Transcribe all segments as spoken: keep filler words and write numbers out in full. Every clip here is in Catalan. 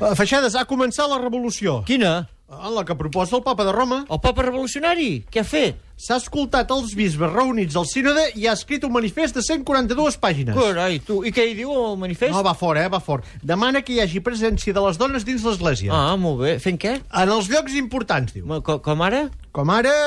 Feixedes, ha començat la revolució. Quina? En la que proposa el papa de Roma. El papa revolucionari? Què ha fet? S'ha escoltat els bisbes reunits al sínode i ha escrit un manifest de cent quaranta-dues pàgines. Carai, tu, i què hi diu el manifest? No, va fort, eh, va fort. Demana que hi hagi presència de les dones dins l'església. Ah, molt bé. Fent què? En els llocs importants, diu. Com, com ara? Com ara...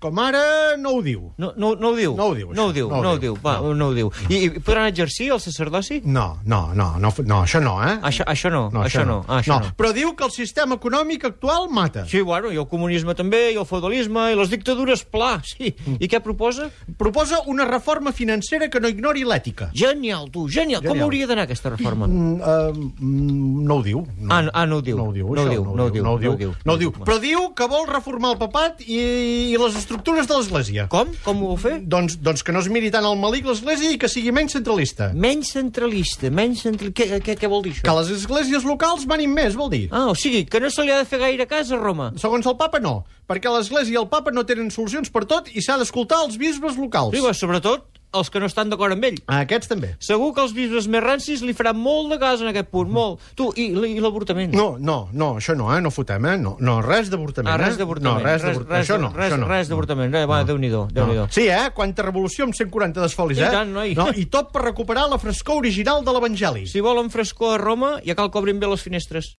Com ara no ho diu. No, no, no ho diu? No ho diu, No ho això. diu, No ho no ho diu. diu. Va, No. no ho diu. I, I podran exercir el sacerdoci? No, no, no, no, no, això no, eh? Això, això no, No, això no. Ah, això no. Però diu que el sistema econòmic actual mata. Sí, bueno, i el comunisme també, i el feudalisme, i les dictadures, pla, sí. I què proposa? Proposa una reforma financera que no ignori l'ètica. Genial, tu, genial. Com Genial. hauria d'anar aquesta reforma? Mm, uh, mm, no ho diu. No. Ah, no- ah, no ho diu. No ho diu, No ho això, diu, no ho no ho diu, diu, no ho no ho diu. diu. No ho diu. Però diu que vol reformar el papat i, i les estructures de l'església. Com? Com ho vol fer? Doncs, doncs que no es miri tant al malic l'església i que sigui menys centralista. Menys centralista, menys centralista... Què, què, què vol dir Que això? les esglésies locals manin més, vol dir. Ah, o sigui, que no se li ha de fer gaire cas a Roma. Segons el papa, no. Perquè l'església i el papa no tenen solucions per tot i s'ha d'escoltar els bisbes locals. Sí, va, sobretot els que no estan d'acord amb ell. A aquests també. Segur que els bisbes més rancis li faran molt de cas en aquest punt, molt. Tu, i, i l'avortament? No, no, no, això no, eh? No fotem, eh? No, no res d'avortament, Ah, res eh? d'avortament. No, res d'avortament. Això no, res, això no. Res d'avortament. Eh, va, Déu-n'hi-do, Déu-n'hi-do. Sí, eh? Quanta revolució amb cent quaranta desfolis, I eh? tant, noi. No, I tot per recuperar la frescor original de l'Evangeli. Si volen frescor a Roma, ja cal que obrin bé les finestres.